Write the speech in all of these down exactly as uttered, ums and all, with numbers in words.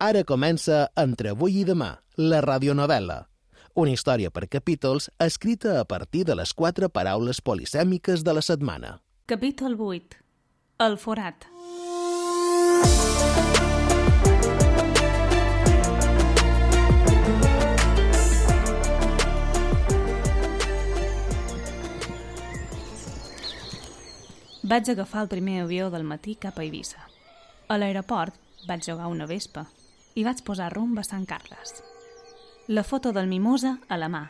Ara comença Entre avui i demà, la radionovel·la. Una història per capítols escrita a partir de les quatre paraules polisèmiques de la setmana. Capítol vuit. El forat. Vaig agafar el primer avió del matí cap a Eivissa. A l'aeroport vaig jugar una vespa i vaig posar rumb a Sant Carles. La foto del Mimosa a la mà,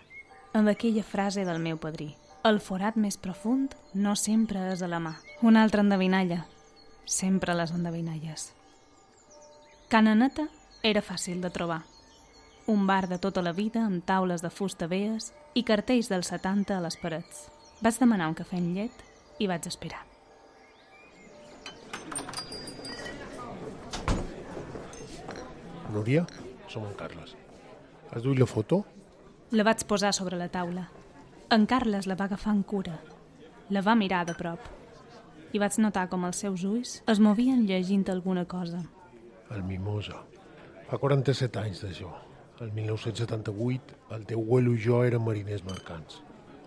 amb aquella frase del meu padrí. El forat més profund no sempre és a la mà. Una altra endevinalla. Sempre les endevinalles. Ca Naneta era fàcil de trobar. Un bar de tota la vida amb taules de fusta veies i cartells dels setanta a les parets. Vaig demanar un cafè amb llet i vaig esperar. Núria, som en Carles. Has duit la foto? La vaig posar sobre la taula. En Carles la va agafar amb cura. La va mirar de prop. I vaig notar com els seus ulls es movien llegint alguna cosa. El Mimosa. Fa quaranta-set anys d'això. El mil nou-cents setanta-vuit, el teu abuelo i jo érem mariners mercants.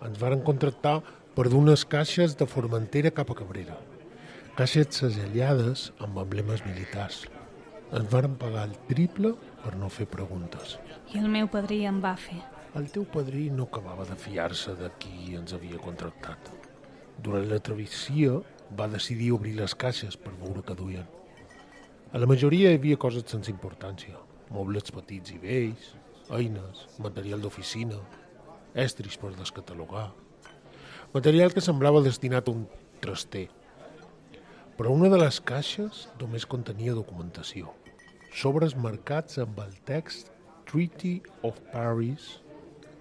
Ens varen contractar per dur unes caixes de Formentera cap a Cabrera. Caixes segellades amb emblemes militars. Ens varen pagar el triple per no fer preguntes. I el meu padrí em va fer. El teu padrí no acabava de fiar-se de qui ens havia contractat. Durant la travessia va decidir obrir les caixes per veure què duien. A la majoria hi havia coses sense importància. Mobles petits i vells, eines, material d'oficina, estris per descatalogar. Material que semblava destinat a un traster. Però una de les caixes només contenia documentació. Sobres marcats amb el text Treaty of Paris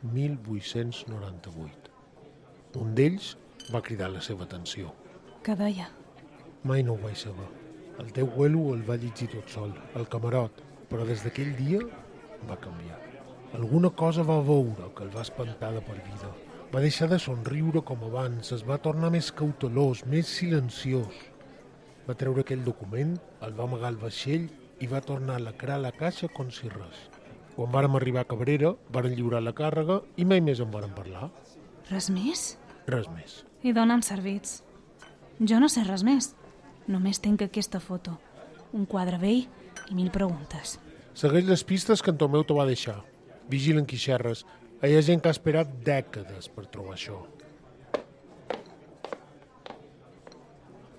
mil vuit-cents noranta-vuit. Un d'ells va cridar la seva atenció. Què deia? Mai no ho vaig saber. El teu abuelo el va llegir tot sol, al camarot, però des d'aquell dia va canviar. Alguna cosa va veure que el va espantar de per vida. Va deixar de somriure com abans, es va tornar més cautelós, més silenciós. Va treure aquell document, el va amagar al vaixell i va tornar a lacrar la caixa com si res. Quan vàrem arribar a Cabrera, varen lliurar la càrrega i mai més en varen parlar. Res més? Res més. I d'on han servits? Jo no sé res més. Només tinc aquesta foto. Un quadre vell i mil preguntes. Segueix les pistes que en Tomeu te va deixar. Vigilen qui xerres. Hi ha gent que ha esperat dècades per trobar això.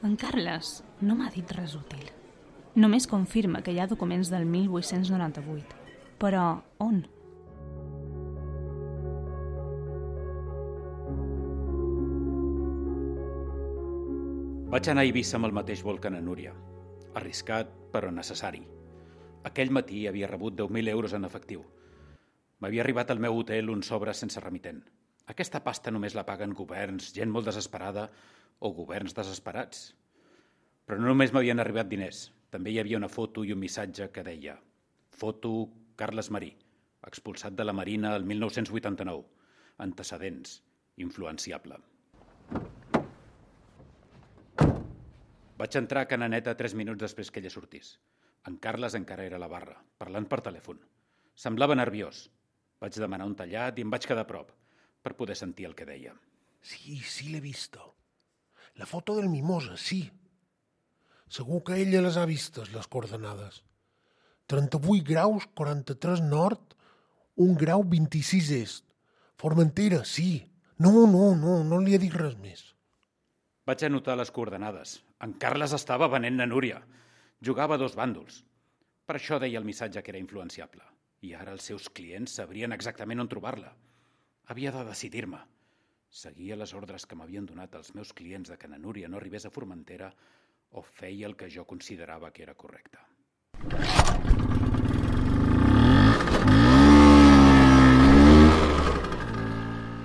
En Carles no m'ha dit res útil. Només confirma que hi ha documents del mil vuit-cents noranta-vuit. Però on? Vaig anar a Eivissa amb el mateix vol que na Núria. Arriscat, però necessari. Aquell matí havia rebut deu mil euros en efectiu. M'havia arribat al meu hotel un sobre sense remitent. Aquesta pasta només la paguen governs, gent molt desesperada o governs desesperats. Però no només m'havien arribat diners. També hi havia una foto i un missatge que deia: foto Carles Marí, expulsat de la Marina el mil nou-cents vuitanta-nou. Antecedents, influenciable. Vaig entrar a Ca Naneta tres minuts després que ella sortís. En Carles encara era a la barra, parlant per telèfon. Semblava nerviós. Vaig demanar un tallat i em vaig quedar a prop, per poder sentir el que deia. Sí, sí l'he vista. La foto del Mimosa, sí. Segur que ella les ha vistes, les coordenades. trenta-vuit graus, quaranta-tres nord, un grau vint-i-sis est. Formentera, sí. No, no, no, no li he dit res més. Vaig anotar les coordenades. En Carles estava venent na Núria. Jugava a dos bàndols. Per això deia el missatge que era influenciable. I ara els seus clients sabrien exactament on trobar-la. Havia de decidir-me. Seguia les ordres que m'havien donat els meus clients de que na Núria no arribés a Formentera o feia el que jo considerava que era correcte.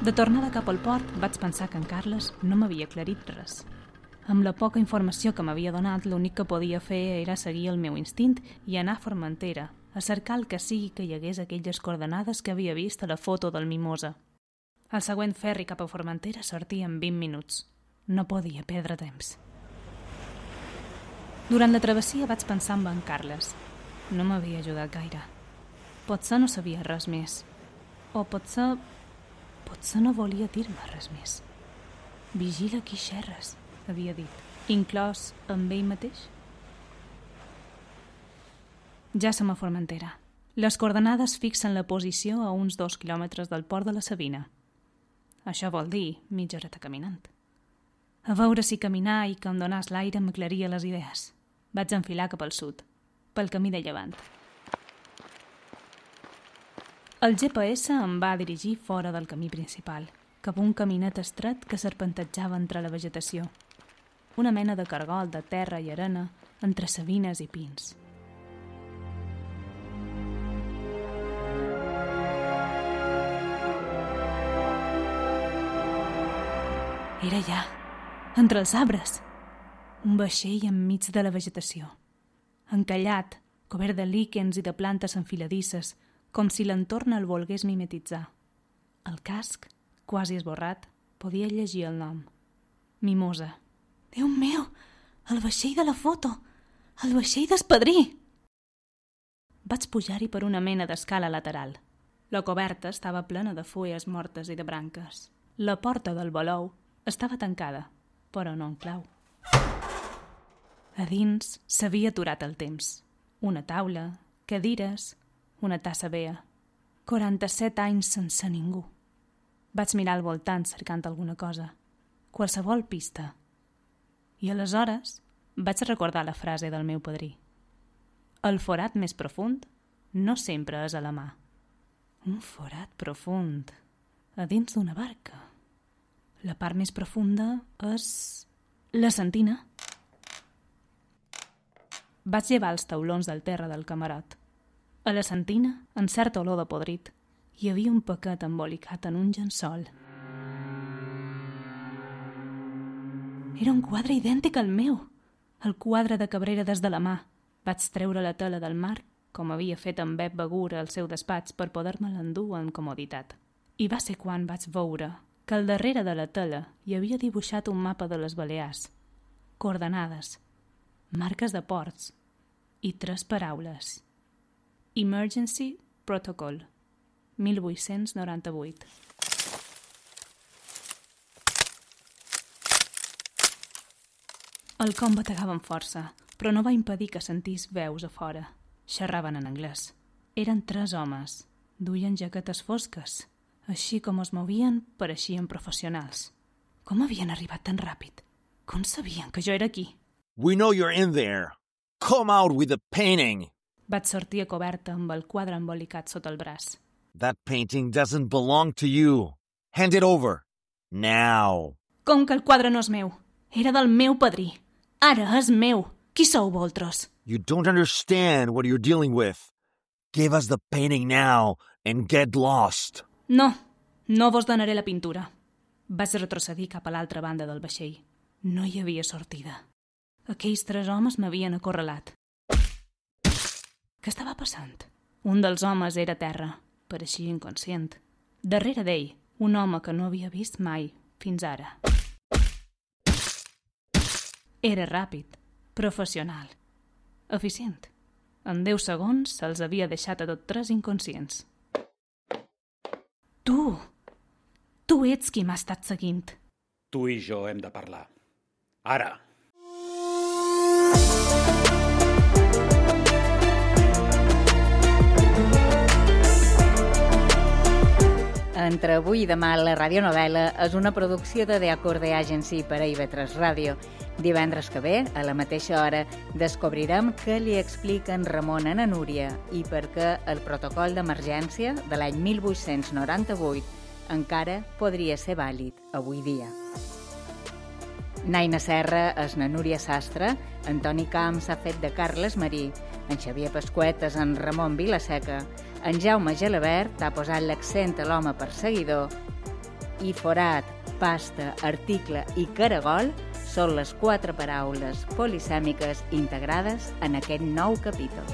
De tornada cap al port, vaig pensar que en Carles no m'havia aclarit res. Amb la poca informació que m'havia donat, l'únic que podia fer era seguir el meu instint i anar a Formentera, a cercar el que sigui que hi hagués aquelles coordenades que havia vist a la foto del Mimosa. El següent ferri cap a Formentera sortia en vint minuts. No podia perdre temps. Durant la travessia vaig pensar en en Carles. no m'havia ajudat gaire. Potser no sabia res més. O potser... potser no volia dir-me res més. Vigila qui xerres, havia dit, inclòs amb ell mateix. Ja som a Formentera. Les coordenades fixen la posició a uns dos quilòmetres del port de la Sabina. Això vol dir mitja horeta caminant. A veure si caminar i que em donàs l'aire m'aclaria les idees. Vaig enfilar cap al sud, pel camí de llevant. El G P S em va dirigir fora del camí principal, cap a un caminet estret que serpentejava entre la vegetació. Una mena de cargol de terra i arena entre savines i pins. Era allà, entre els arbres, un vaixell enmig de la vegetació, encallat, cobert de líquens i de plantes enfiladisses, com si l'entorn el volgués mimetitzar. El casc, quasi esborrat, podia llegir el nom. Mimosa. Déu meu, el vaixell de la foto, el vaixell d'espadrí! Vaig pujar-hi per una mena d'escala lateral. La coberta estava plena de fulles mortes i de branques. La porta del balou estava tancada, però no en clau. A dins s'havia aturat el temps. Una taula, cadires, una tassa vea. quaranta-set anys sense ningú. Vaig mirar al voltant cercant alguna cosa, qualsevol pista. I aleshores vaig recordar la frase del meu padrí. El forat més profund no sempre és a la mà. Un forat profund, a dins d'una barca. La part més profunda és la sentina. Vaig llevar els taulons del terra del camarot. A la sentina, en certa olor de podrit, hi havia un paquet embolicat en un llençol. Era un quadre idèntic al meu, el quadre de Cabrera des de la mà. Vaig treure la tela del mar, com havia fet en Bep Begur al seu despatx per poder-me l'endur amb comoditat. I va ser quan vaig veure que al darrere de la tela hi havia dibuixat un mapa de les Balears, coordenades, marques de ports i tres paraules. Emergency Protocol, mil vuit-cents noranta-vuit. El com bategava amb força, però no va impedir que sentís veus a fora. Xerraven en anglès. Eren tres homes. Duien jaquetes fosques. Així com es movien, pareixien professionals. Com havien arribat tan ràpid? Com sabien que jo era aquí? We know you're in there. Come out with the painting. Vaig sortir a coberta amb el quadre embolicat sota el braç. That painting doesn't belong to you. Hand it over. Now. Com que el quadre no és meu? Era del meu padrí. Ara és meu. Qui sou vosaltres? You don't understand what you're dealing with. Give us the painting now and get lost. No, no vos donaré la pintura. Vaig retrocedir cap a l'altra banda del vaixell. No hi havia sortida. Aquells tres homes m'havien acorralat. Què estava passant? Un dels homes era a terra, pareixia inconscient. Darrere d'ell, un home que no havia vist mai, fins ara. Era ràpid, professional, eficient. En deu segons se'ls havia deixat a tot tres inconscients. Tu! Tu ets qui m'ha estat seguint. Tu i jo hem de parlar. Ara! Entre avui i demà, la radionovel·la és una producció de The Acorde Agency per a I V tres Ràdio. Divendres que ve, a la mateixa hora, descobrirem què li expliquen Ramon a na Núria i per què el protocol d'emergència de l'any mil vuit-cents noranta-vuit encara podria ser vàlid avui dia. Naina Serra és na Núria Sastre, Antoni Camps ha fet de Carles Marí, en Xavier Pasquet és en Ramon Vilaseca, en Jaume Gelabert ha posat l'accent a l'home perseguidor i forat, pasta, article i caragol són les quatre paraules polisèmiques integrades en aquest nou capítol.